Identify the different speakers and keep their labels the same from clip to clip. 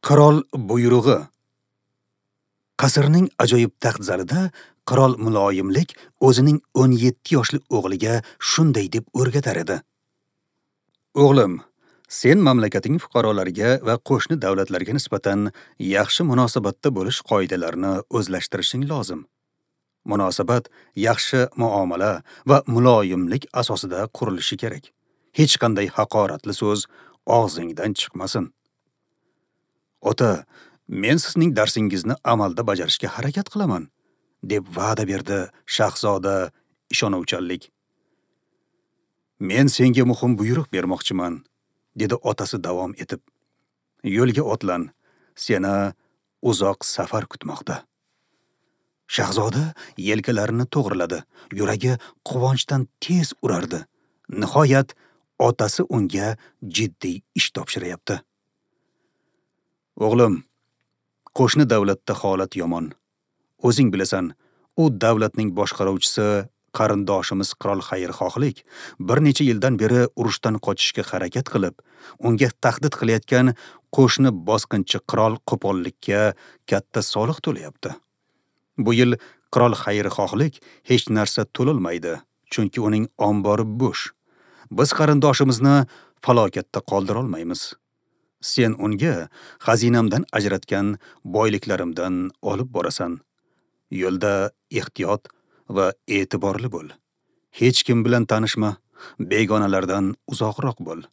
Speaker 1: Qirol buyrug'i. Qasrning ajoyib taxt zalida qirol muloyimlik o'zining 17 yoshli o'g'liga shunday deb o'rgatar edi. O'g'lim, sen mamlakating fuqarolariga va qo'shni davlatlarga nisbatan yaxshi munosabatda bo'lish qoidalarini o'zlashtirishing lozim. Munosabat yaxshi muomala va muloyimlik asosida qurilishi kerak. Hech qanday haqoratli so'z og'zingdan chiqmasin. Ota, men sizning darsingizni amalda bajarishga harakat qilaman, deb va'da berdi shahzoda ishonuvchanlik. Men senga muhim buyruq bermoqchiman, dedi otasi davom etib. Yo'lga otlan, seni uzoq safar kutmoqda. Shahzoda yelkalarini to'g'riladi, yuragi quvonchdan tez urardi. Nihoyat otasi unga jiddiy ish topshiryapti. O'g'lim, qo'shni davlatda holat yomon. O'zing bilasan, u davlatning boshqaruvchisi qarindoshimiz qirol xayrixohlik bir necha yildan beri urushdan qochishga harakat qilib, unga tahdid qilayotgan qo'shni bosqinchi qirol qo'pollikka katta soliq to'layapti. Bu yil qirol xayrixohlik hech narsa to'lolmaydi, chunki uning ombori bo'sh. Biz qarindoshimizni falokatda qoldira olmaymiz. Sen unga xazinamdan ajratgan boyliklarimdan olib borasan. Yo'lda ehtiyot va e'tiborli bo'l. Hech kim bilan tanishma, begonalardan uzoqroq bo'l.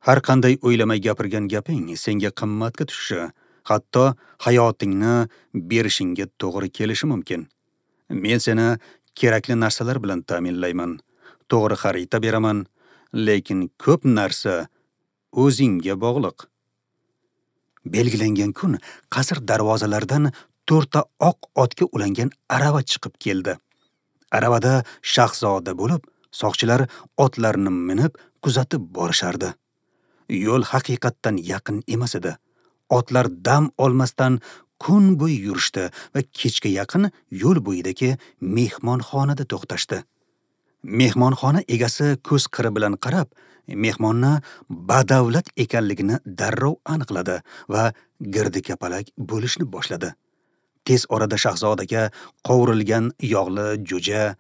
Speaker 1: Har qanday o'ylamay gapirgan gaping senga qimmatga tushishi, hatto hayotingni berishingga to'g'ri kelishi mumkin. Men seni kerakli narsalar bilan ta'minlayman, to'g'ri xarita beraman, lekin ko'p narsa o'zingga bog'liq. Belgilangan kun qasr darvozalaridan 4 ta oq otga ulangan arava chiqib keldi. Aravada shahzoda bo'lib, soqchilar otlarni minib kuzatib borishardi. Yo'l haqiqatdan yaqin emas edi. Otlar dam olmasdan kun bo'yi yurishdi va kechga yaqin yo'l bo'yidagi mehmonxonada to'xtashdi. Mehmonxona egasi ko'z qiri bilan qarab, mehmonni badavlat ekanligini darrov aniqladi va girdi-kapalak bo'lishni boshladi. Tez orada shahzodaga qovurilgan yog'li jo'ja,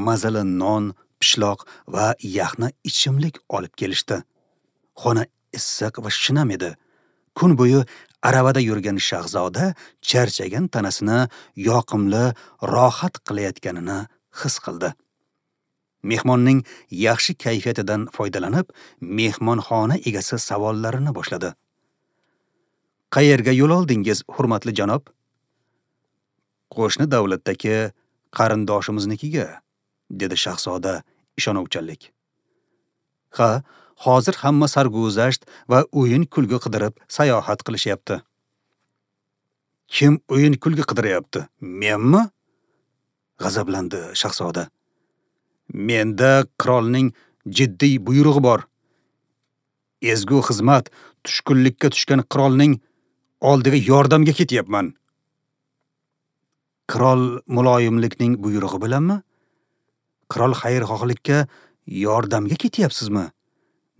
Speaker 1: mazali non, pishloq va yaxna ichimlik olib kelishdi. Xona issiq va shinam edi. Kun bo'yi aravada yurgan shahzoda charchagan tanasini yoqimli rohat qilayotganini his qildi. Mehmonning yaxshi kayfiyatidan foydalanib, mehmonxona egasi savollarini boshladi. Qayerga yo'l oldingiz, hurmatli janob? Qo'shni davlatdagi qarindoshimiznikiga, dedi shahzoda ishonuvchanlik. Ha, hozir hamma sarguzasht va o'yin kulgi qidirib sayohat qilishyapti. Kim o'yin kulgi qidiryapti? Menmi? G'azablandi shahzoda. Menda qirolning jiddiy buyrug'i bor. Ezgu xizmat tushkunlikka tushgan qirolning oldiga yordamga ketyapman. Qirol muloyimlikning buyrug'i bilanmi? Qirol xayrixohlikka yordamga ketyapsizmi?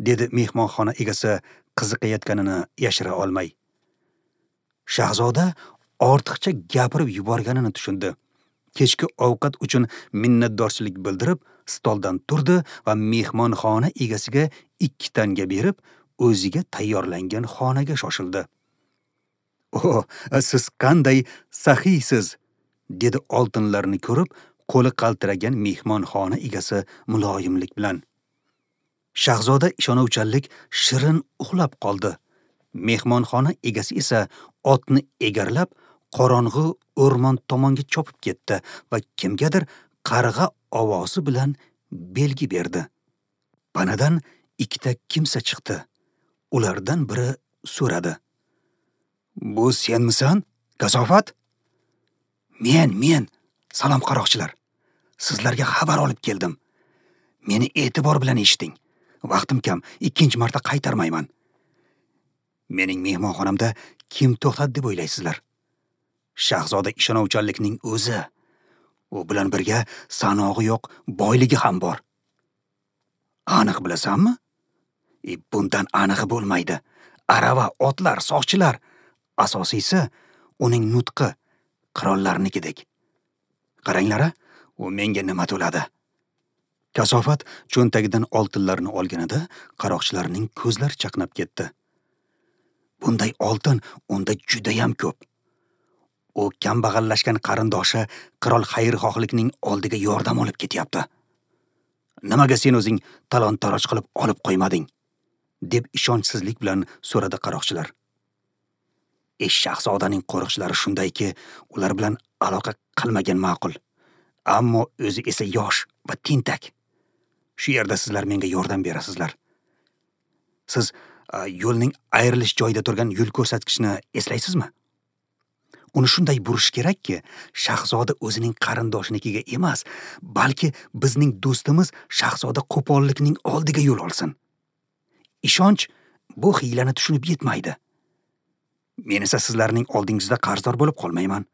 Speaker 1: Dedi mehmonxona egasi qiziqayotganini yashira olmay. Shahzoda ortiqcha gapirib yuborganini tushundi. Kechki ovqat uchun minnatdorchilik bildirib, stoldan turdi va mehmonxona egasiga 2 tanga berib, o'ziga tayyorlangan xonaga shoshildi. "O, siz qanday saxiysiz!" dedi oltinlarni ko'rib, qo'li qaltiragan mehmonxona egasi muloyimlik bilan. Shahzoda ishonuvchanlik shirin uxlab qoldi. Mehmonxona egasi esa otni egarlab, qorong'i o'rmon tomonga chopib ketdi va kimgadir qarg'a ovozi bilan belgi berdi. Panadan 2 ta kimsa chiqdi. Ulardan biri so'radi: "Bu senmisan, kasofat?" Men, salom qaroqchilar. Sizlarga xabar olib keldim. Meni e'tibor bilan eshiting. Vaqtim kam, 2-chi marta qaytarmayman. Mening mehmonxonamda kim to'xtadi deb o'ylaysizlar? Shahzoda ishonuvchanlikning o'zi. U bilan birga sanog'i yo'q boyligi ham bor. Aniq bilasanmi? Bundan anig'i bo'lmaydi. Arava, otlar, soqchilar. Asosiysi, uning nutqi qirollarnikidek. Qaranglar, u menga nima to'ladi? Kasofat cho'ntagidan oltinlarni olganida qaroqchilarning ko'zlari chaqnab ketdi. Bunday oltin unda judayam ko'p. U kambag'allashgan qarindoshi qirol xayrixohlikning oldiga yordam olib ketyapti. Nimaga sen o'zing talon-taroj qilib olib qo'ymading? Deb ishonchsizlik bilan so'radi qaroqchilar. Shahzodaning qo'riqchilari shundayki, ular bilan aloqa qilmagan ma'qul. Ammo o'zi esa yosh va tentak. Shu yerda sizlar menga yordam berasizlar. Siz yo'lning ayrilish joyida turgan yo'l ko'rsatkichni eslaysizmi? Uni shunday burish kerakki, shahzoda o'zining qarindoshinikiga emas, balki bizning do'stimiz shahzoda qo'pollikning oldiga yo'l olsin. Ishonch bu hiylani tushunib yetmaydi. Men esa sizlarning oldingizda qarzdor bo'lib qolmayman.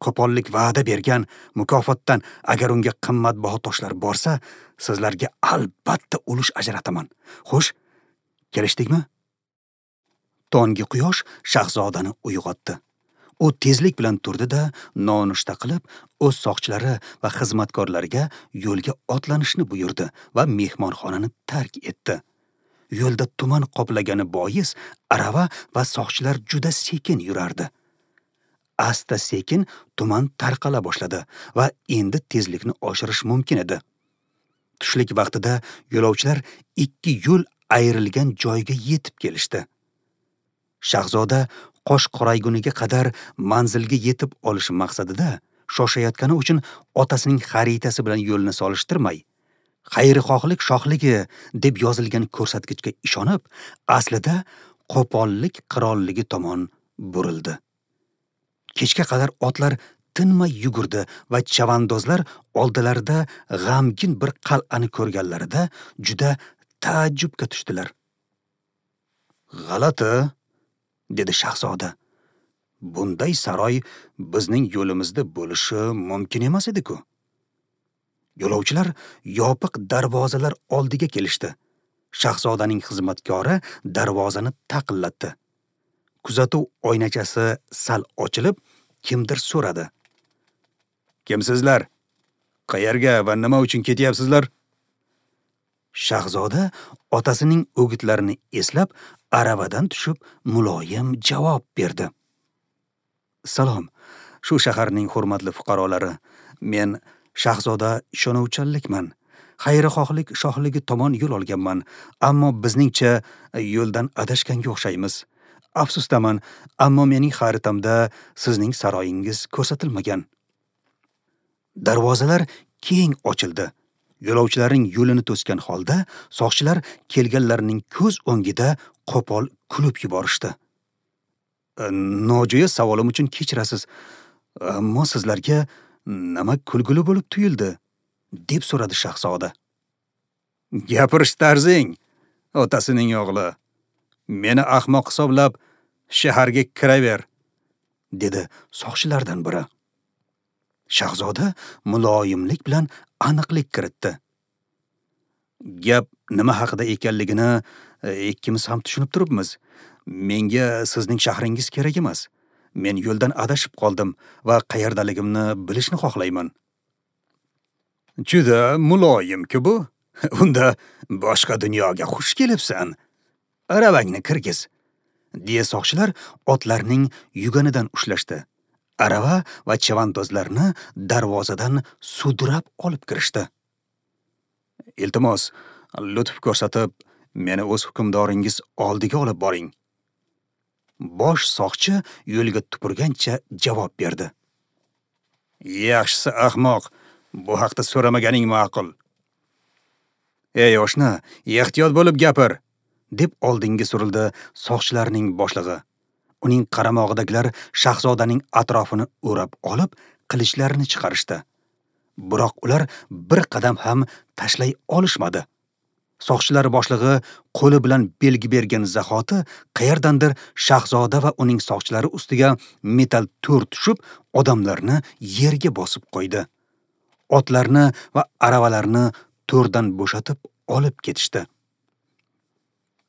Speaker 1: Qo'pollik va'da bergan mukofotdan agar unga qimmatbaho toshlar borsa, sizlarga albatta ulush ajrataman. Xo'sh, kelishdikmi? Tonggi quyosh shahzodani uyg'otdi. U tezlik bilan turdi-da, nonushta qilib, o'z soqchilari va xizmatkorlariga yo'lga otlanishni buyurdi va mehmonxonani tark etdi. Yo'lda tuman qoplagani bois arava va soqchilar juda sekin yurardi. Asta-sekin tuman tarqala boshladi va endi tezlikni oshirish mumkin edi. Tushlik vaqtida yo'lovchilar ikki yo'l ayrilgan joyga yetib kelishdi. Shahzoda qosh qorayguniga qadar manzilga yetib olish maqsadida shoshayotgani uchun otasining xaritasi bilan yo'lni solishtirmay, xayrixohlik shohligi deb yozilgan ko'rsatkichga ishonib, aslida qo'pollik qirolligi tomon burildi. Kechga qadar otlar tinmay yugurdi va chavandozlar oldilarida g'amgin bir qal'ani ko'rganlarida juda taajjubga tushdilar. G'alati, dedi shahzoda. Bunday saroy bizning yo'limizda bo'lishi mumkin emas edi-ku. Yo'lovchilar yopiq darvozalar oldiga kelishdi. Shahzodaning xizmatkori darvozani taqillatdi. Kuzatuv oynachasi sal ochilib, kimdir so'radi. Kimsizlar? Qayerga va nima uchun ketyapsizlar? Shahzoda otasining o'gitlarini eslab, aravadan tushib muloyim javob berdi. Salom, shu shaharning hurmatli fuqarolari. Men shahzoda ishonuvchanlikman. Xayrixohlik shohligi tomon yo'l olganman, ammo bizningcha yo'ldan adashganga o'xshaymiz. Afsusdaman, ammo mening xaritamda sizning saroyingiz ko'rsatilmagan. Darvozalar keng ochildi. Yo'lovchilarning yo'lini to'sgan holda soqchilar kelganlarning ko'z o'ngida qo'pol kulib yuborishdi. Nojo'ya savolim uchun kechirasiz, ammo sizlarga nima kulgili bo'lib tuyuldi? Deb so'radi shahzoda. Gapirish tarzing, otasining o'g'li. Meni ahmoq hisoblab shaharga kiraver, dedi soqchilardan biri. Shahzoda muloyimlik bilan aniqlik kiritdi. Gap nima haqida ekanligini ikkimiz ham tushunib turibmiz. Menga sizning shahringiz kerak emas. Men yo'ldan adashib qoldim va qayerdaligimni bilishni xohlayman. Juda muloyim-ku bu. Unda boshqa dunyoga xush kelibsan. Aravangni kirgiz, deya soqchilar otlarning yuganidan ushlashdi. Arava va chavandozlarni darvozadan sudrab olib kirishdi. Iltimos, lutf ko'rsatib, meni o'z hukmdoringiz oldiga olib boring. Bosh soqchi yo'lga tupurgancha javob berdi. Yaxshisi ahmoq, bu haqda so'ramaganing ma'qul. Ey oshna, ehtiyot bo'lib gapir, deb oldinga surildi soqchilarning boshlig'i. Uning qaramog'idagilar shahzodaning atrofini o'rab olib, qilichlarini chiqarishdi. Biroq ular bir qadam ham tashlay olishmadi. Soqchilar boshlig'i qo'li bilan belgi bergan zahoti qayerdandir shahzoda va uning soqchilari ustiga metal to'r tushib, odamlarni yerga bosib qo'ydi. Otlarni va aravalarni to'rdan bo'shatib olib ketishdi.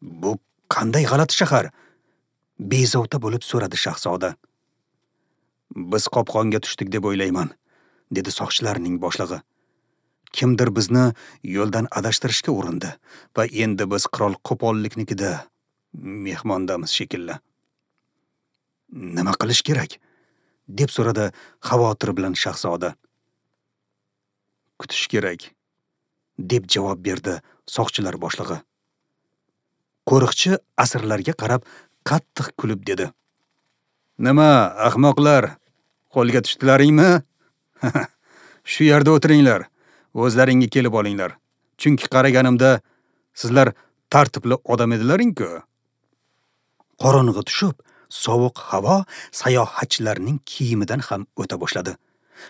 Speaker 1: Bu qanday g'alati shahar? Bezovta bo'lib so'radi shahzoda. Biz qopqonga tushdik deb o'ylayman, dedi soqchilarning boshlig'i. Kimdir bizni yo'ldan adashtirishga urindi va endi biz qirol qo'polliknikida mehmondamiz shekilli. Nima qilish kerak? Deb so'radi xavotir bilan shahzoda. Kutish kerak, deb javob berdi soqchilar boshlig'i. Qo'riqchi asirlarga qarab qattiq kulib dedi: Nima, ahmoqlar, qo'lga tushdilaringmi? Shu yerda o'tiringlar, o'zlaringga kelib olinglar. Chunki qaraganimda sizlar tartibli odam edilaring-ku. Qorong'i tushib, sovuq havo sayohatchilarning kiyimidan ham o'ta boshladi.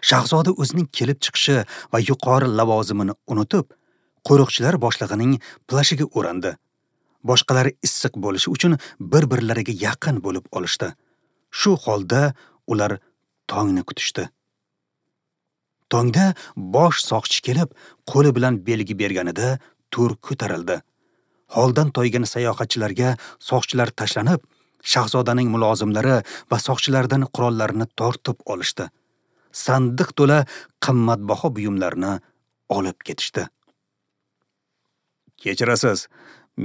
Speaker 1: Shahzoda o'zining kelib chiqishi va yuqori lavozimini unutib, qo'riqchilar boshlig'ining plashiga o'randi. Boshqalari issiq bo'lishi uchun bir-birlariga yaqin bo'lib olishdi. Shu holda ular tongni kutishdi. Tongda bosh soqchi kelib, qo'li bilan belgi berganida to'r ko'tarildi. Holdan toygan sayohatchilarga soqchilar tashlanib, shahzodaning mulozimlari va soqchilardan qurollarini tortib olishdi. Sandiq to'la qimmatbaho buyumlarni olib ketishdi. Kechirasiz,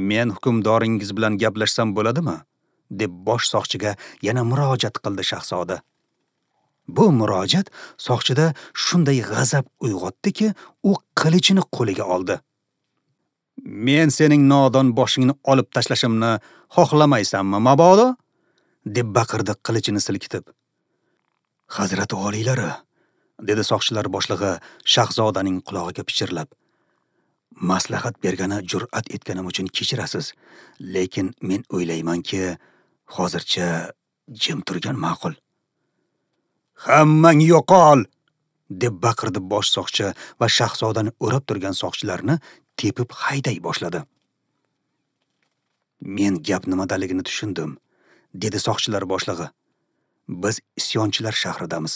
Speaker 1: men hukmdoringiz bilan gaplashsam bo'ladimi? Deb bosh soqchiga yana murojaat qildi shahzoda. Bu murojaat soqchida shunday g'azab uyg'otdiki, u qilichini qo'liga oldi. Men sening nodon boshingni olib tashlashimni xohlamaysanmi, mabodo? Deb baqirdi qilichini silkitib. Hazrati oliylari, dedi soqchilar boshlig'i shahzodaning qulog'iga pichirlab. Maslahat bergani jur'at etganim uchun kechirasiz, lekin men o'ylaymanki, hozircha jim turgan ma'qul. Hammang yo'qol! Deb baqirdi bosh soqchi va shahzodani o'rab turgan soqchilarni tepib hayday boshladi. Men gap nimadaligini tushundim, dedi soqchilar boshlig'i. Biz isyonchilar shahridamiz.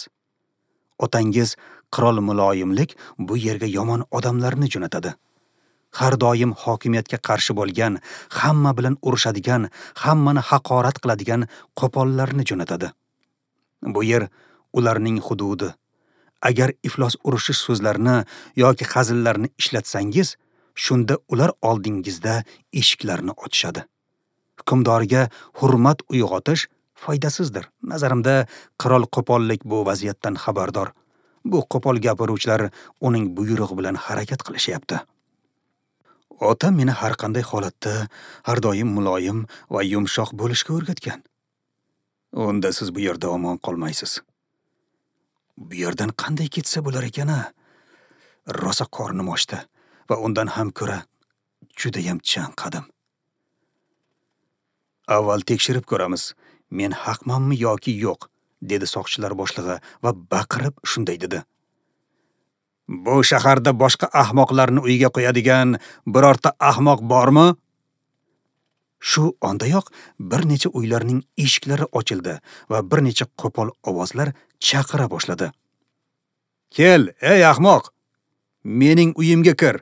Speaker 1: Otangiz qirol muloyimlik bu yerga yomon odamlarni jo'natadi. Har doim hokimiyatga qarshi bo'lgan, hamma bilan urushadigan, hammani haqorat qiladigan qo'pollarni jo'natadi. Bu yer ularning hududi. Agar iflos urushish so'zlarini yoki hazillarni ishlatsangiz, shunda ular oldingizda eshiklarni ochishadi. Hukmdorga hurmat uyg'otish foydasizdir. Nazarimda qirol qo'pollik bu vaziyatdan xabardor. Bu qo'pol gapiruvchilar uning buyrug'i bilan harakat qilishyapti. Otam meni har qanday holatda har doim muloyim va yumshoq bo'lishga o'rgatgan. Unda siz bu yerda omon qolmaysiz. Bu yerdan qanday ketsa bo'lar ekan-a? Rosa qornim ochdi va undan ham ko'ra judayam chanqadim. Avval tekshirib ko'ramiz, men haqmanmi yoki yo'q, dedi soqchilar boshlig'i va baqirib shunday dedi. Bu shaharda boshqa ahmoqlarni uyga qo'yadigan birorta ahmoq bormi? Shu ondayoq bir necha uylarning eshiklari ochildi va bir necha qo'pol ovozlar chaqira boshladi. Kel, ey ahmoq, mening uyimga kir.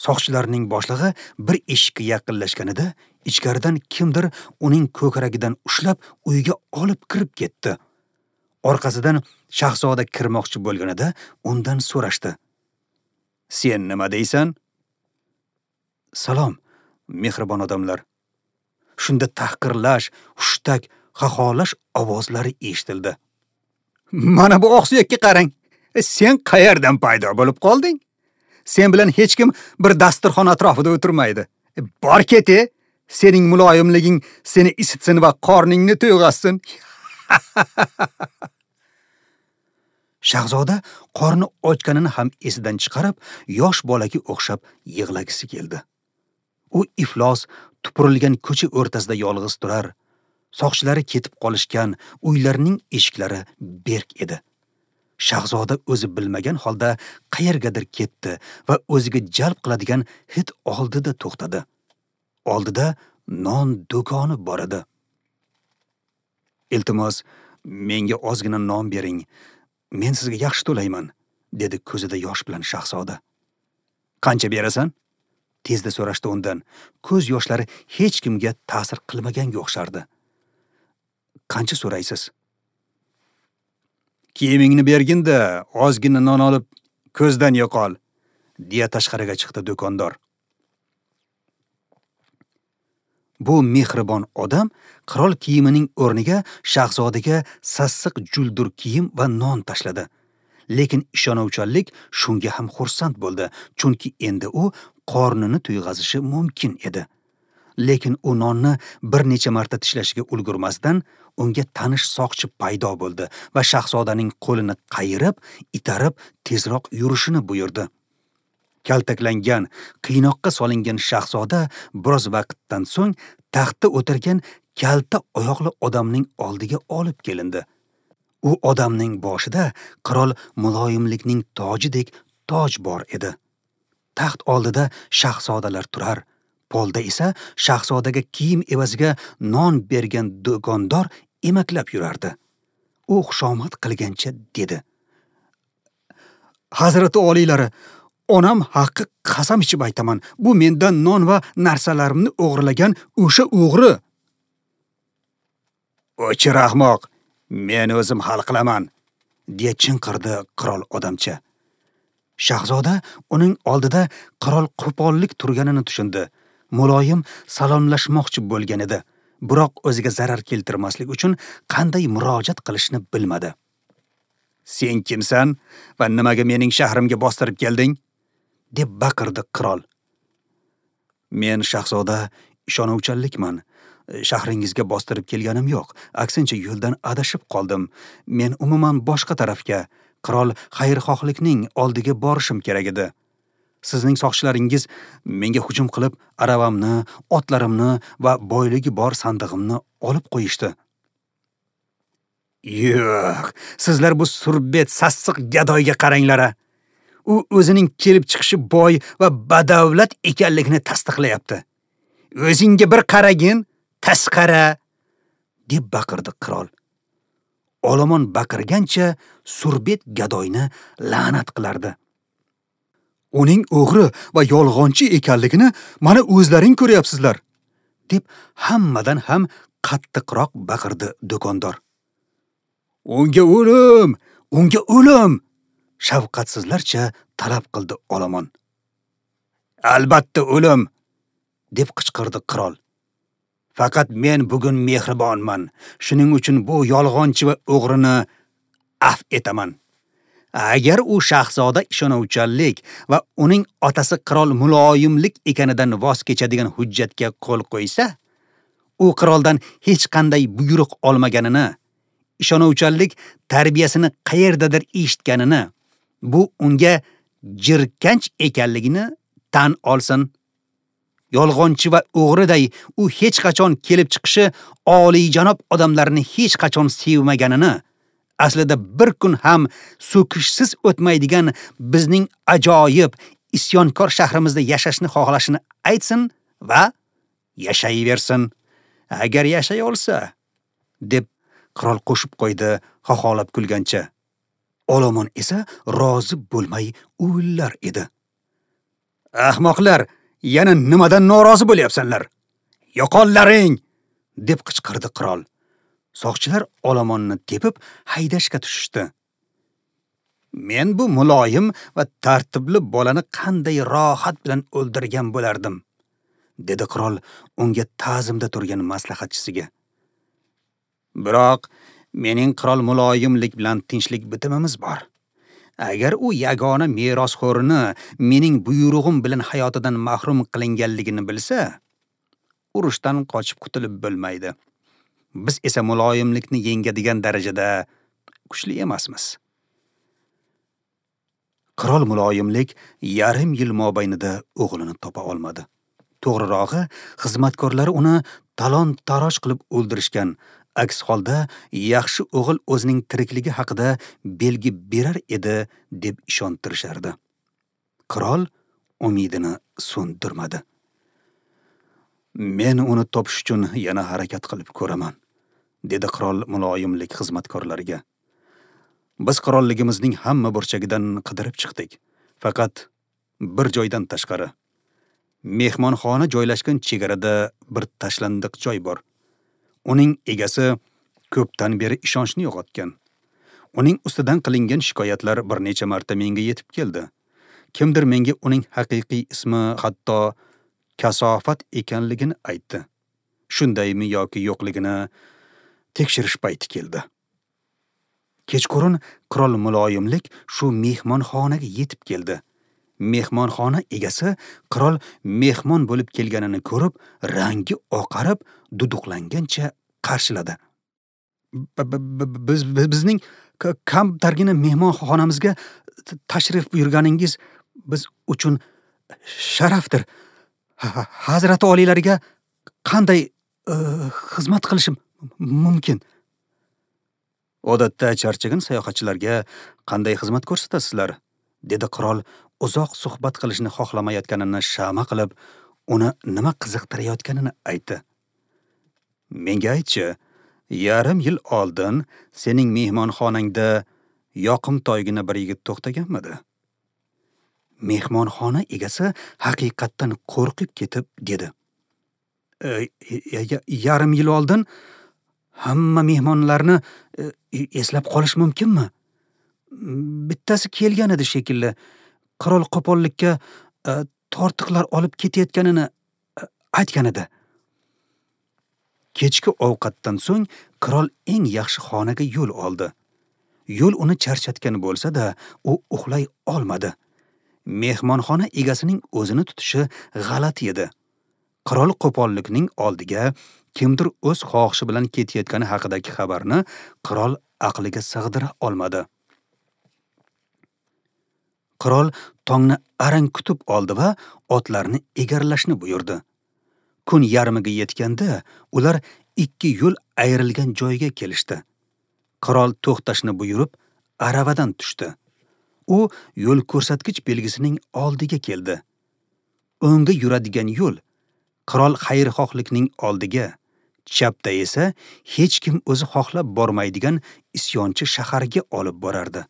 Speaker 1: Soqchilarning boshlig'i bir eshikka yaqinlashganida ichkaridan kimdir uning ko'kragidan ushlab uyga olib kirib ketdi. Orqasidan shahzoda kirmoqchi bo'lganida undan so'rashdi. Sen nima deysan? Salom, mehribon odamlar. Shunda tahqirlash, hushtak, xaxolash ovozlari eshitildi. Mana bu oqsuyakka qarang. Sen qayerdan paydo bo'lib qolding? Sen bilan hech kim bir dasturxon atrofida o'tirmaydi. Bor ket, sening muloyimliging seni isitsin va qorningni to'yg'azsin. Shahzoda qorni ochganini ham esidan chiqarib, yosh bolaga o'xshab yig'lagisi keldi. U iflos tupurilgan ko'cha o'rtasida yolg'iz turar. Soqchilari ketib qolishgan, uylarning eshiklari berk edi. Shahzoda o'zi bilmagan holda qayergadir ketdi va o'ziga jalb qiladigan hid oldida to'xtadi. Oldida non do'koni bor edi. Iltimos, menga ozgina non bering. Men sizga yaxshi to'layman, dedi ko'zida yosh bilan shahzoda. Qancha berasan? Tezda so'rashdi undan. Ko'z yoshlari hech kimga ta'sir qilmaganga o'xshardi. Qancha so'raysiz? Kiyimingni bergin-da, ozgina non olib ko'zdan yo'qol, deya tashqariga chiqdi do'kondor. Bu mehribon odam qirol kiyimining o'rniga shahzodaga sassiq juldur kiyim va non tashladi. Lekin ishonuvchanlik shunga ham xursand bo'ldi, chunki endi u qornini to'yg'azishi mumkin edi. Lekin u nonni bir necha marta tishlashiga ulgurmasdan unga tanish soqchi paydo bo'ldi va shahzodaning qo'lini qayirib, itarib tezroq yurishini buyurdi. Kaltaklangan, qiynoqqa solingan shahzoda biroz vaqtdan so'ng taxtda o'tirgan kalta oyoqli odamning oldiga olib kelindi. U odamning boshida qirol muloyimlikning tojidek toj bor edi. Taxt oldida shahzodalar turar, polda esa shahzodaga kiyim evaziga non bergan do'kondor emaklab yurardi. U xushomad qilgancha dedi: "Hazrati oliylari, onam haqqi qasam ichib aytaman, bu mendan non va narsalarimni o'g'irlagan o'sha o'g'ri." "O'chir ahmoq, men o'zim hal qilaman", deya chinqirdi qirol odamcha. Shahzoda uning oldida qirol qo'pollik turganini tushundi. Muloyim salomlashmoqchi bo'lgan edi, biroq o'ziga zarar keltirmaslik uchun qanday murojaat qilishni bilmadi. "Sen kimsan va nimaga mening shahrimga bostirib kelding?" deb baqirdi qirol. "Men shahzoda ishonuvchanlikman. Shahringizga bostirib kelganim yo'q. Aksincha yo'ldan adashib qoldim. Men umuman boshqa tarafga, qirol xayrixohlikning oldiga borishim kerak edi. Sizning soqchilaringiz menga hujum qilib, aravamni, otlarimni va boyligi bor sandig'imni olib qo'yishdi." "Yo'q, sizlar bu surbet sassiq gadoyga qaranglar. U o'zining kelib chiqishi boy va badavlat ekanligini tasdiqlayapti. O'zingga bir qaragin, tasqara!" deb baqirdi qirol. Olomon baqirgancha surbet gadoyni la'nat qilardi. "Uning o'g'ri va yolg'onchi ekanligini mana o'zlaring ko'ryapsizlar", deb hammadan ham qattiqroq baqirdi do'kondor. "Unga o'lim, unga o'lim!" shafqatsizlarcha talab qildi olomon. "Albatta o'lim!" deb qichqirdi qirol. "Faqat men bugun mehribonman. Shuning uchun bu yolg'onchi va o'g'rini afv etaman. Agar u shahzoda ishonuvchanlik va uning otasi qirol muloyimlik ekanidan voz kechadigan hujjatga qo'l qo'ysa, u qiroldan hech qanday buyruq olmaganini, ishonuvchanlik tarbiyasini qayerdadir eshitganini, bu unga jirkanch ekanligini tan olsin. Yolg'onchi va o'g'riday u hech qachon kelib chiqishi oliyjanob odamlarni hech qachon sevmaganini, aslida bir kun ham so'kishsiz o'tmaydigan bizning ajoyib isyonkor shahrimizda yashashni xohlashini aytsin va yashayversin. Agar yashay olsa", deb qirol qo'shib qo'ydi xoxolab kulgancha. Olomon esa rozi bo'lmay uvillar edi. "Ahmoqlar, yana nimadan norozi bo'lyapsanlar? Yo'qollaring!" deb qichqirdi qirol. Soqchilar olomonni tepib haydashga tushishdi. "Men bu muloyim va tartibli bolani qanday rohat bilan o'ldirgan bo'lardim", dedi qirol unga ta'zimda turgan maslahatchisiga. "Biroq mening qirol muloyimlik bilan tinchlik bitimimiz bor. Agar u yagona merosxo'rini mening buyrug'im bilan hayotidan mahrum qilinganligini bilsa, urushdan qochib qutulib bo'lmaydi. Biz esa muloyimlikni yengadigan darajada kuchli emasmiz." Qirol muloyimlik yarim yil mobaynida o'g'lini topa olmadi. To'g'rirog'i, xizmatkorlari uni talon-taroj qilib o'ldirishgan. Aks holda yaxshi o'g'il o'zining tirikligi haqida belgi berar edi deb ishontirishardi. Qirol umidini so'ndirmadi. "Men uni topish uchun yana harakat qilib ko'raman", dedi qirol muloyimlik xizmatkorlariga. "Biz qirolligimizning hamma burchagidan qidirib chiqdik. Faqat bir joydan tashqari. Mehmonxona joylashgan chegarada bir tashlandiq joy bor. Uning egasi Ko'pdan beri ishonchni yo'qotgan. Uning ustidan qilingan shikoyatlar bir necha marta menga yetib keldi. Kimdir menga uning haqiqiy ismi hatto Kasofat ekanligini aytdi. Shundaymi yoki yo'qligini tekshirish payti keldi. Kechqurun qirol muloyimlik shu mehmonxonaga yetib keldi. Mehmonxona egasi qirol mehmon bo'lib kelganini ko'rib, rangi oqarib, duduqlangancha qarshiladi. Bizning kamtargina mehmonxonamizga tashrif buyurganingiz biz uchun sharafdir. Hazrati oliylariga qanday xizmat qilishim mumkin? Odatda charchagan sayohatchilarga qanday xizmat ko'rsatasizlar? Dedi qirol uzoq suhbat qilishni xohlamayotganini shama qilib, uni nima qiziqtirayotganini aytdi. Menga aytchi, yarim yil oldin sening mehmonxonangda yoqimtoygina bir yigit to'xtaganmidi? Mehmonxona egasi haqiqatdan qo'rqib ketib dedi. Yarim yil oldin hamma mehmonlarni eslab qolish mumkinmi? Bittasi kelgan edi shekilli. Qirol qo'pollikka tortiqlar olib ketayotganini aytgan edi. Kechki ovqatdan so'ng qirol eng yaxshi xonaga yo'l oldi. Yo'l uni charchatgan bo'lsa-da, u uxlay olmadi. Mehmonxona egasining o'zini tutishi g'alati edi. Qirol qo'pollikning oldiga kimdir o'z xohishi bilan ketayotgani haqidagi xabarni qirol aqliga sig'dira olmadi. Qirol tongni arang kutib oldi va otlarni egarlashni buyurdi. Kun yarmiga yetganda ular ikki yo'l ayrilgan joyga kelishdi. Qirol to'xtashni buyurib, aravadan tushdi. U yo'l ko'rsatkich belgisining oldiga keldi. O'ngga yuradigan yo'l qirol xayrixohlikning oldiga, chapda esa hech kim o'zi xohlab bormaydigan isyonchi shaharga olib borardi.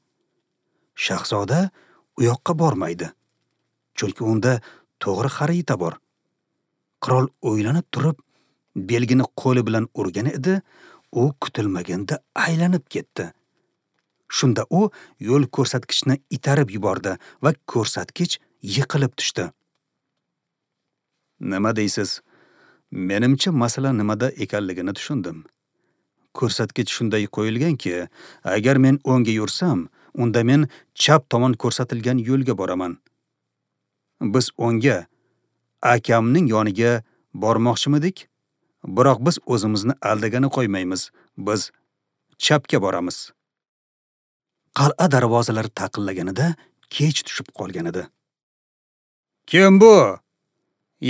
Speaker 1: Shahzoda u yoqqa bormaydi, chunki unda to'g'ri xarita bor. Qirol o'ylanib turib, belgini qo'li bilan urgan edi, u kutilmaganda aylanib ketdi. Shunda u yo'l ko'rsatkichni itarib yubordi va ko'rsatkich yiqilib tushdi. Nima deysiz? Menimcha masala nimada ekanligini tushundim. Ko'rsatkich shunday qo'yilganki, agar men o'ngga yursam, unda men chap tomon ko'rsatilgan yo'lga boraman. Biz o'ngga, akamning yoniga bormoqchimidik? Biroq biz o'zimizni aldagani qo'ymaymiz. Biz chapga boramiz. Qal'a darvozalari taqillaganida kech tushib qolgan edi. Kim bu?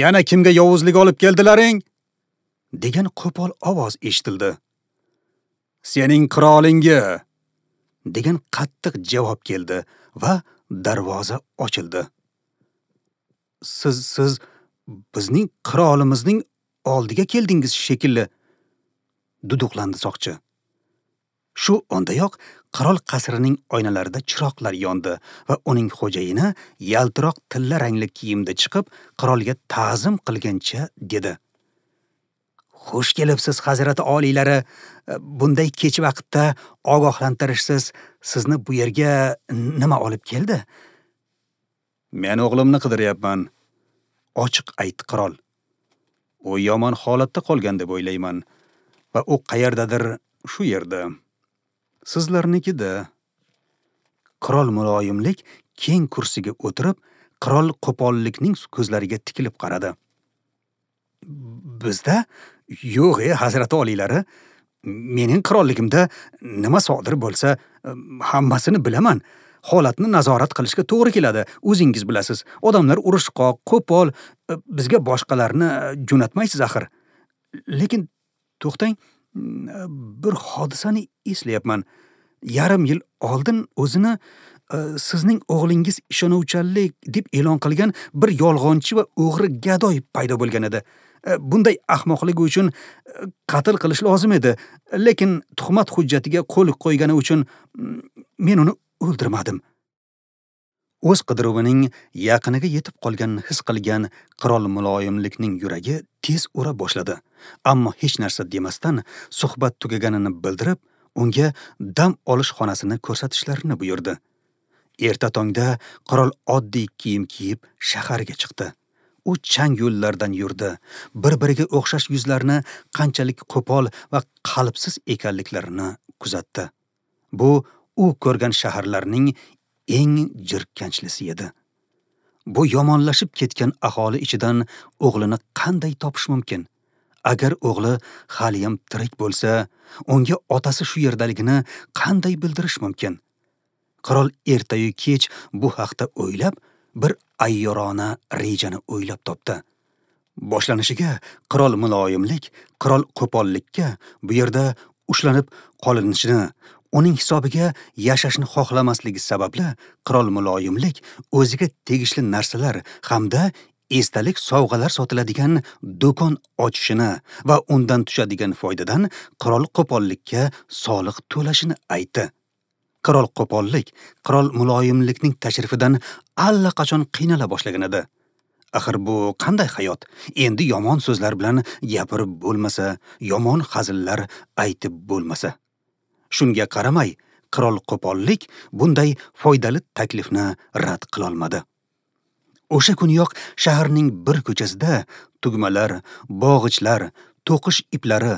Speaker 1: Yana kimga yovuzlik olib keldilaring? Degan qo'pol ovoz eshitildi. Sening qirolingga, degan qattiq javob keldi va darvoza ochildi. Siz bizning qirolimizning oldiga keldingiz shekilli, duduqlandi soqchi. Shu ondayoq qirol qasrining oynalarida chiroqlar yondi va uning xo'jayini yaltiroq tilla rangli kiyimda chiqib, qirolga ta'zim qilgancha dedi: Xush kelibsiz, hazrati oliylari. Bunday kech vaqtda ogohlantirishsiz sizni bu yerga nima olib keldi? Men o'g'limni qidiryapman, ochiq aytdi qirol. U yomon holatda qolgan deb o'ylayman va u qayerdadir shu yerda. Sizlarnikida. Qirol muloyimlik keng kursiga o'tirib, qirol qo'pollikning ko'zlariga tikilib qaradi. Bizda yo'q, hazrati oliylari, mening qirolligimda nima sodir bo'lsa, hammasini bilaman. Holatni nazorat qilishga to'g'ri keladi. O'zingiz bilasiz, odamlar urushqoq, qo'pol, bizga boshqalarni jo'natmaysiz axir. Lekin to'xtang, bir hodisani eslayapman. Yarim yil oldin o'zini sizning o'g'lingiz ishonuvchanlik deb e'lon qilgan bir yolg'onchi va o'g'ri gadoy paydo bo'lgan edi. Bunday ahmoqligi uchun qatl qilish lozim edi, lekin tuhmat hujjatiga qo'l qo'ygani uchun men uni o'ldirmadim. O'z qidiruvining yaqiniga yetib qolganini his qilgan qirol muloyimlikning yuragi tez ura boshladi. Ammo hech narsa demasdan suhbat tugaganini bildirib, unga dam olish xonasini ko'rsatishlarini buyurdi. Erta tongda qirol oddiy kiyim kiyib shaharga chiqdi. U chang yo'llardan yurdi. Bir-biriga o'xshash yuzlarni qanchalik qo'pol va qalbsiz ekanliklarini kuzatdi. Bu u ko'rgan shaharlarning eng jirkanchlisi edi. Bu yomonlashib ketgan aholi ichidan o'g'lini qanday topish mumkin? Agar o'g'li haliyam tirik bo'lsa, unga otasi shu yerdaligini qanday bildirish mumkin? Qirol ertayu kech bu haqda o'ylab, bir ayyorona rejani o'ylab topdi. Boshlanishiga qirol muloyimlik, qirol qo'pollikka bu yerda ushlanib qolinishini, uning hisobiga yashashni xohlamasligi sababli qirol muloyimlik o'ziga tegishli narsalar hamda esdalik sovg'alar sotiladigan do'kon ochishini va undan tushadigan foydadan qirol qo'pollikka soliq to'lashini aytdi. Qirol qo'pollik qirol muloyimlikning tashrifidan allaqachon qiynala boshlagan edi. Axir bu qanday hayot? Endi yomon so'zlar bilan gapirib bo'lmasa, yomon hazillar aytib bo'lmasa. Shunga qaramay, qirol qo'pollik bunday foydali taklifni rad qila olmadi. O'sha kuniyoq shaharning bir ko'chasida tugmalar, bog'ichlar, to'qish iplari,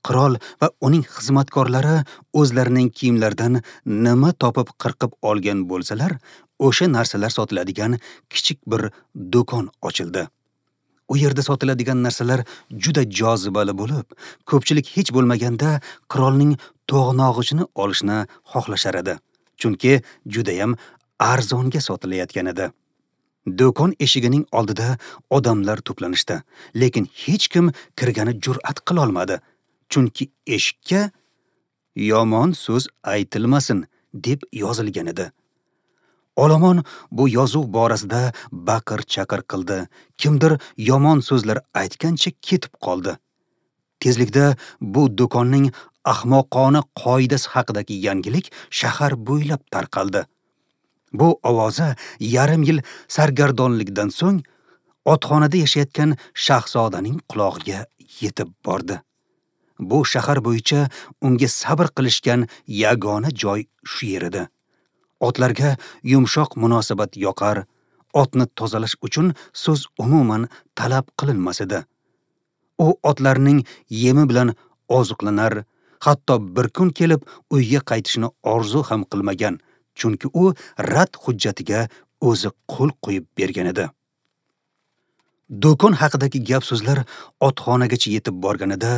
Speaker 1: qirol va uning xizmatkorlari o'zlarining kiyimlaridan nima topib qirqib olgan bo'lsalar, o'sha narsalar sotiladigan kichik bir do'kon ochildi. U yerda sotiladigan narsalar juda jozibali bo'lib, ko'pchilik hech bo'lmaganda qirolning to'g'nog'ichini olishni xohlashar edi, chunki judayam arzonga sotilayotgan edi. Do'kon eshigining oldida odamlar to'planishdi, lekin hech kim kirgani jur'at qila olmadi, chunki eshikka yomon so'z aytilmasin deb yozilgan edi. Olomon bu yozuv borasida baqir-chaqir qildi. Kimdir yomon so'zlar aytgancha ketib qoldi. Tezlikda bu do'konning ahmoqona qoidasi haqidagi yangilik shahar bo'ylab tarqaldi. Bu ovoza yarim yil sargardonlikdan so'ng otxonada yashayotgan shahzodaning qulog'iga yetib bordi. Bu shahar bo'yicha unga sabr qilishgan yagona joy shu yer edi. Otlarga yumshoq munosabat yoqar, otni tozalash uchun so'z umuman talab qilinmas edi. U otlarning yemi bilan oziqlanar, hatto bir kun kelib uyga qaytishni orzu ham qilmagan, chunki u rad hujjatiga o'zi qo'l qo'yib bergan edi. Do'kon haqidagi gap-so'zlar otxonagacha yetib borganida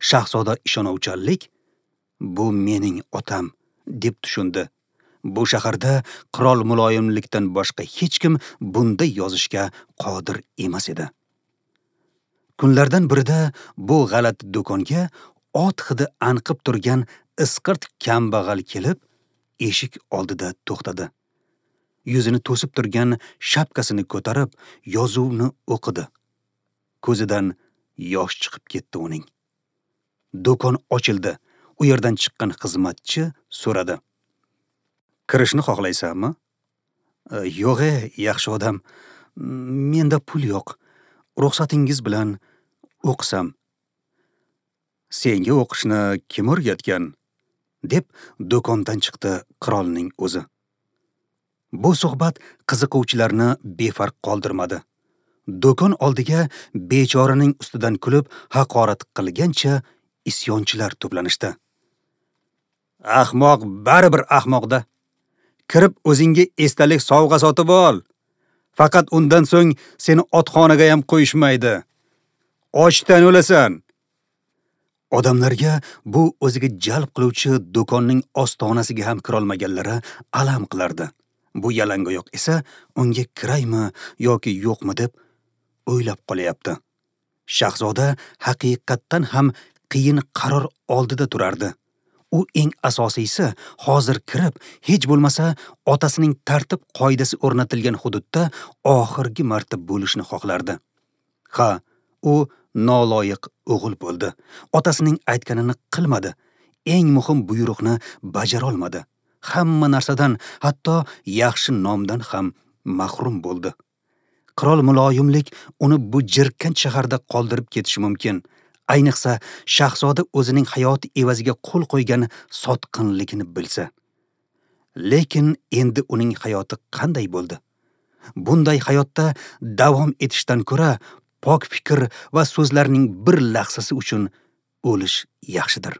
Speaker 1: shahzoda ishonuvchanlik bu mening otam deb tushundi. Bu shaharda qirol muloyimlikdan boshqa hech kim bunday yozishga qodir emas edi. Kunlardan birida bu g'alati do'konga ot hidi anqib turgan isqirt kambag'al kelib, eshik oldida to'xtadi. Yuzini to'sib turgan shapkasini ko'tarib, yozuvni o'qidi. Ko'zidan yosh chiqib ketdi uning. Do'kon ochildi. U yerdan chiqqan xizmatchi so'radi: "Kirishni xohlaysanmi?" "Yo'q, yaxshi odam. Menda pul yo'q. Ruxsatingiz bilan o'qisam." "Senga o'qishni kim o'rgatgan?" deb do'kondan chiqdi qirolning o'zi. Bu suhbat qiziquvchilarni befarq qoldirmadi. Do'kon oldiga bechoraning ustidan kulib haqorat qilgancha isyonchilar to'planishdi. "Ahmoq baribir ahmoqda. Kirib o'zingga esdalik sovg'a sotib ol. Faqat undan so'ng seni otxonaga ham qo'yishmaydi. Ochdan o'lasan." Odamlarga bu o'ziga jalb qiluvchi do'konning ostonasiga ham kirolmaganlari alam qilardi. Bu yalangoyoq esa unga kiraymi yoki yo'qmi deb o'ylab qolyapti. Shahzoda haqiqatdan ham qiyin qaror oldida turardi. U eng asosiysi hozir kirib, hech bo'lmasa otasining tartib qoidasi o'rnatilgan hududda oxirgi marta bo'lishni xohlardi. Ha, u noloyiq o'g'il bo'ldi. Otasining aytganini qilmadi. Eng muhim buyruqni bajara olmadi. Hamma narsadan, hatto yaxshi nomdan ham mahrum bo'ldi. Qirol muloyimlik uni bu jirkanch shaharda qoldirib ketishi mumkin. Ayniqsa, shahzoda o'zining hayoti evaziga qo'l qo'ygan sotqinligini bilsa. Lekin endi uning hayoti qanday bo'ldi? Bunday hayotda davom etishdan ko'ra pok fikr va so'zlarning bir lahzasi uchun o'lish yaxshidir.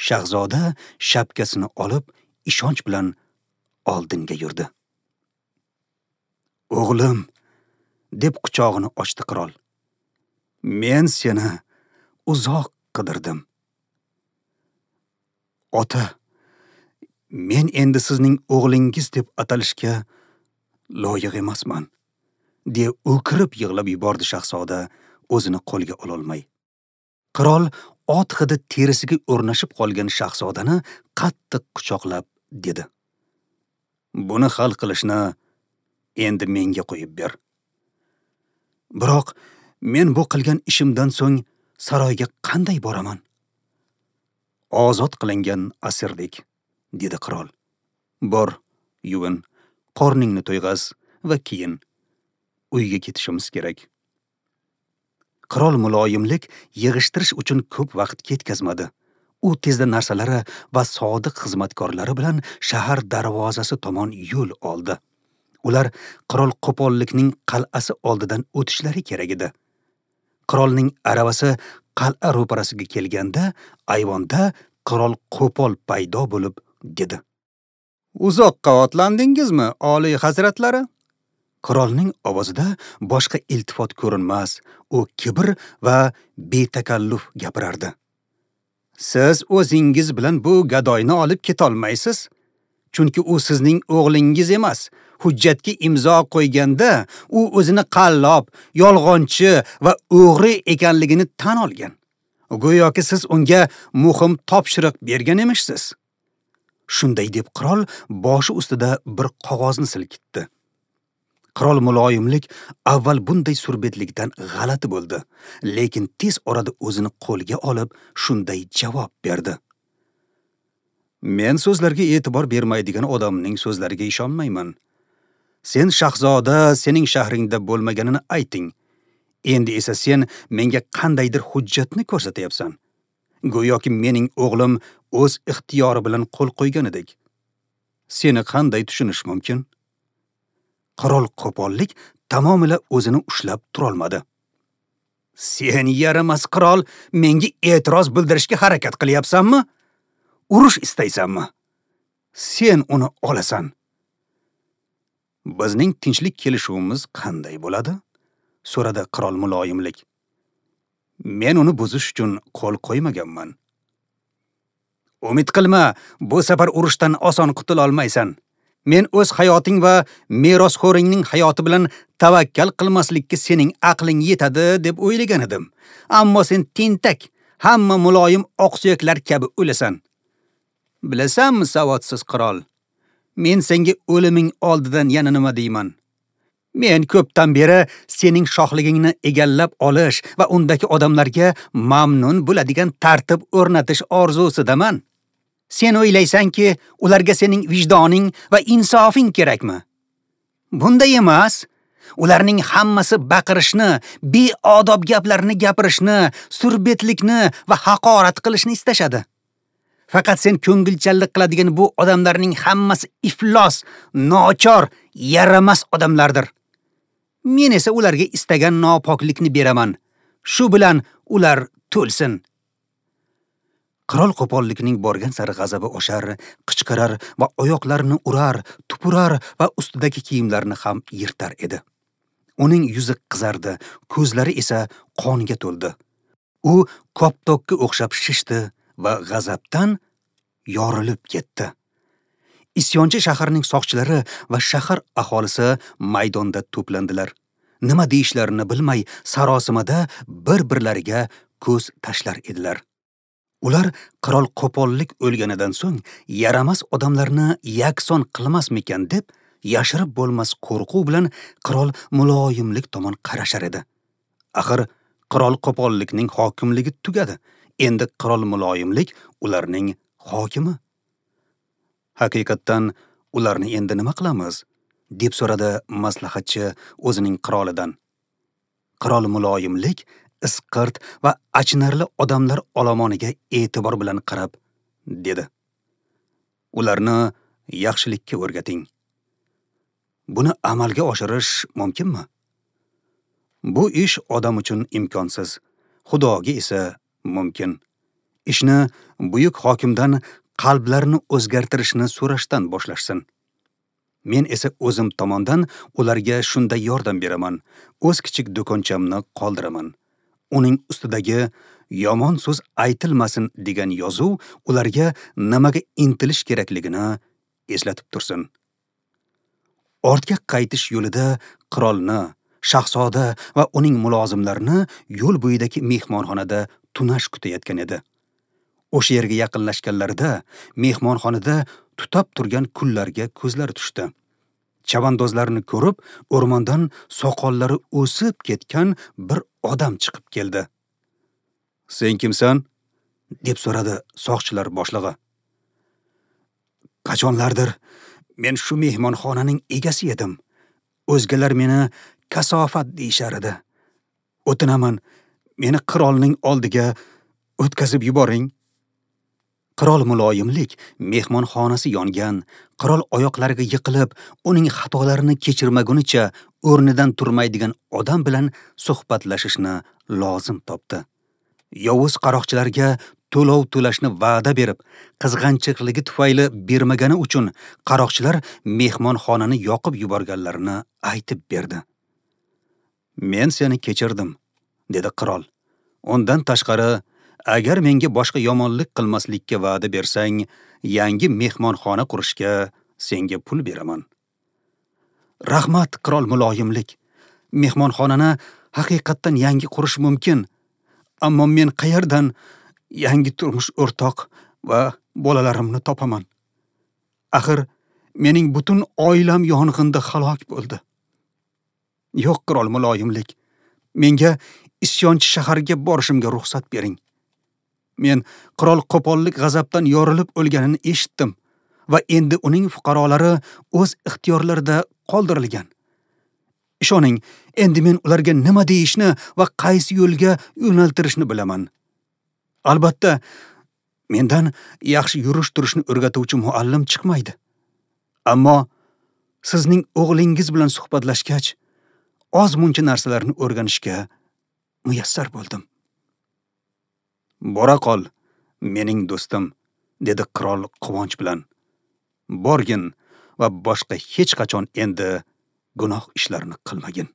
Speaker 1: Shahzoda shapkasini olib, ishonch bilan oldinga yurdi. "O'g'lim", deb quchog'ini ochdi qirol. "Men seni uzoq qidirdim." "Ota, men endi sizning o'g'lingiz deb atalishga loyiq emasman", deya o'kirib yig'lab yubordi shahzoda, o'zini qo'lga ololmay. Qirol ot hidi terisiga o'rnashib qolgan shahzodani qattiq quchoqlab dedi: "Buni hal qilishni endi menga qo'yib ber. Biroq men bu qilgan ishimdan so'ng saroyga qanday boraman?" "Ozod qilingan asirdek", dedi qirol. "Bor, yuvin, qorningni to'yg'az va keyin uyga ketishimiz kerak." Qirol muloyimlik yig'ishtirish uchun ko'p vaqt ketkazmadi. U tezda narsalari va sodiq xizmatkorlari bilan shahar darvozasi tomon yo'l oldi. Ular qirol qo'pollikning qal'asi oldidan o'tishlari kerak edi. Qirolning aravasi qal'a ro'parasiga kelganda, ayvonda qirol qo'pol paydo bo'lib dedi: "Uzoqqa otlandingizmi, oliy hazratlari?" Qirolning ovozida boshqa iltifot ko'rinmas, u kibr va betakalluf gapirardi. "Siz o'zingiz bilan bu gadoyni olib ketolmaysiz, chunki u sizning o'g'lingiz emas. Hujjatga imzo qo'yganda u o'zini qallob, yolg'onchi va o'g'ri ekanligini tan olgan. Go'yoki siz unga muhim topshiriq bergan emishsiz." Shunday deb qirol boshi ustida bir qog'ozni silkitdi. Qirol muloyimlik avval bunday surbetlikdan g'alati bo'ldi, lekin tez orada o'zini qo'lga olib, shunday javob berdi: "Men so'zlarga e'tibor bermaydigan odamning so'zlariga ishonmayman. Sen shahzoda sening shahringda bo'lmaganini ayting. Endi esa sen menga qandaydir hujjatni ko'rsatyapsan. Go'yoki mening o'g'lim o'z ixtiyori bilan qo'l qo'yganidek. Seni qanday tushunish mumkin?" Qirol qo'pollik tamomila o'zini ushlab turolmadi. "Sen yaramas qirol, menga e'tiroz bildirishga harakat qilyapsanmi? Urush istaysanmi? Sen uni olasan. Bizning tinchlik kelishuvimiz qanday bo'ladi?" so'radi qirol muloyimlik. "Men uni buzish uchun qo'l qo'ymaganman." "Umid qilma, bu safar urushdan oson qutula olmaysan. Men o'z hayoting va merosxo'ringning hayoti bilan tavakkal qilmaslikka sening aqling yetadi deb o'ylagan edim. Ammo sen tentak, hamma muloyim oqsuyaklar kabi o'lasan. Bilasanmi, savodsiz qirol, men senga o'liming oldidan yana nima deyman? Men ko'pdan beri sening shohligingni egallab olish va undagi odamlarga mamnun bo'ladigan tartib o'rnatish orzusidaman. Sen o'ylaysanki, ularga sening vijdoning va insofing kerakmi? Bunday emas. Ularning hammasi baqirishni, beodob gaplarni gapirishni, surbetlikni va haqorat qilishni istashadi. Faqat sen ko'ngilchanlik qiladigan bu odamlarning hammasi iflos, nochor, yaramas odamlardir. Men esa ularga istagan nopoklikni beraman. Shu bilan ular to'lsin." Qirol qo'pollikning borgan sari g'azabi oshar, qichqirar va oyoqlarini urar, tupurar va ustidagi kiyimlarini ham yirtar edi. Uning yuzi qizardi, ko'zlari esa qonga to'ldi. U koptokka o'xshab shishdi va g'azabdan yorilib ketdi. Isyonchi shaharning soqchilari va shahar aholisi maydonda to'plandilar. Nima deyishlarini bilmay sarosimada bir-birlariga ko'z tashlar edilar. Ular qirol qo'pollik o'lganidan so'ng yaramas odamlarni yakson qilmasmikan deb yashirib bo'lmas qo'rquv bilan qirol muloyimlik tomon qarashar edi. Axir qirol qo'pollikning hokimligi tugadi. Endi qirol muloyimlik ularning hokimi. Haqiqatdan ularni endi nima qilamiz? deb so'radi maslahatchi o'zining qirolidan. Qirol muloyimlik, isqirt va achinarli odamlar olomoniga e'tibor bilan qarab dedi: Ularni yaxshilikka o'rgating. Buni amalga oshirish mumkinmi? Bu ish odam uchun imkonsiz, Xudoga esa mumkin. Ishni buyuk hokimdan qalblarni o'zgartirishni so'rashdan boshlashsin. Men esa o'zim tomondan ularga shunda yordam beraman, o'z kichik do'konchamni qoldiraman. Uning ustidagi yomon so'z aytilmasin degan yozuv ularga nimaga intilish kerakligini eslatib tursin. Ortga qaytish yo'lida qirolni, shahzoda va uning mulozimlarini yo'l bo'yidagi mehmonxonada tunash kutayotgan edi. O'sha yerga yaqinlashganlarida mehmonxonada tutab turgan kullarga ko'zlari tushdi. Chavandozlarni ko'rib, o'rmondan soqollari o'sib ketgan bir odam chiqib keldi. "Sen kimsan?" deb so'radi soqchilar boshlig'i. "Qachonlardir men shu mehmonxonaning egasi edim. O'zgalar meni kasofat deyishar edi. O'tinaman, meni qirolning oldiga o'tkazib yuboring." Qirol muloyimlik mehmonxonasi yongan, qirol oyoqlariga yiqilib, uning xatolarini kechirmagunicha o'rnidan turmaydigan odam bilan suhbatlashishni lozim topdi. Yovuz qaroqchilarga to'lov to'lashni va'da berib, qizg'anchiqligi tufayli bermagani uchun qaroqchilar mehmonxonani yoqib yuborganlarini aytib berdi. "Men seni kechirdim", dedi qirol. "Undan tashqari, agar menga boshqa yomonlik qilmaslikka va'da bersang, yangi mehmonxona qurishga senga pul beraman." "Rahmat, qirol muloyimlik. Mehmonxonani haqiqatdan yangi qurish mumkin, ammo men qayerdan yangi turmush o'rtoq va bolalarimni topaman? Axir mening butun oilam yong'inda halok bo'ldi." "Yo'q, qirol muloyimlik, menga isyonchi shaharga borishimga ruxsat bering. Men qirol qo'pollik g'azabdan yorilib o'lganini eshitdim va endi uning fuqarolari o'z ixtiyorlarida qoldirilgan. Ishoning, endi men ularga nima deyishni va qaysi yo'lga yo'naltirishni bilaman. Albatta, mendan yaxshi yurish-turishni o'rgatuvchi muallim chiqmaydi. Ammo sizning o'g'lingiz bilan suhbatlashgach, oz muncha narsalarni o'rganishga muyassar bo'ldim." "Bora qol, mening do'stim", dedi qirol quvonch bilan. "Borgin va boshqa hech qachon endi gunoh ishlarini qilmagin."